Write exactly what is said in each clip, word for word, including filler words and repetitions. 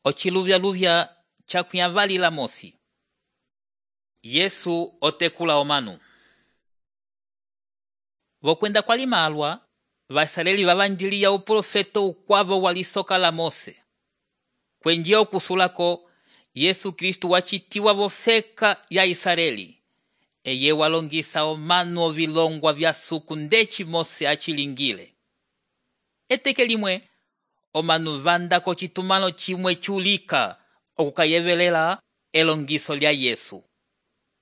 Ociluvyaluvya cakuyavalila mosi. Yesu otekula omanu. Vokwenda kwali malwa, Vaisraeli vavanjiliya uprofeto ukwavo walisoka la Mose. Kwenjiya okusulako, Yesu Kristu wacitiwa vofeka ya Israeli. Eye walongisa omanu ovilongwa vya suku ndeci Mose achilingile. Eteke limwe, omanu vanda kocitumano chimwe chulika okukayevelela elongiso lya Yesu.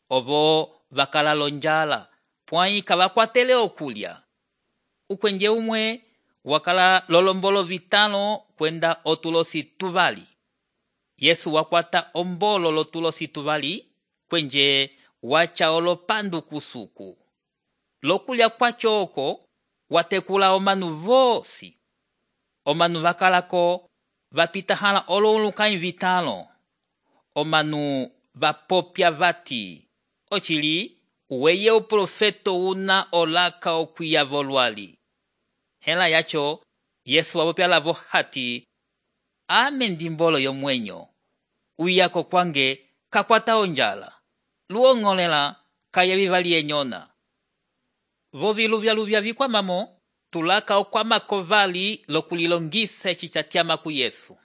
Ovo vakala lonjala, pwai kavakwatele okulya. Ukwenje umwe wakala lolombolo vitano kwenda otulosi tuvali. Yesu wakwata ombolo lotulosi tuvali kwenje wacha olopandu kusuku. Lokulya kwacho oko watekula omanu vosi. Omanu vakalako vapitahala ololukai vitano. Omanu vapopya vati, ochili uweye uprofeto una olaka okwiya volwali. Hela yacho, Yesu wapopya lavo hati, ame ndimbolo yomwenyo. Uyako kwange kakwata onjala. Luongolela kaya vivali enyona. Voviluvyaluvya vikwamamo, tulaka okwama kovali lokulilongisa echichatyama ku Yesu.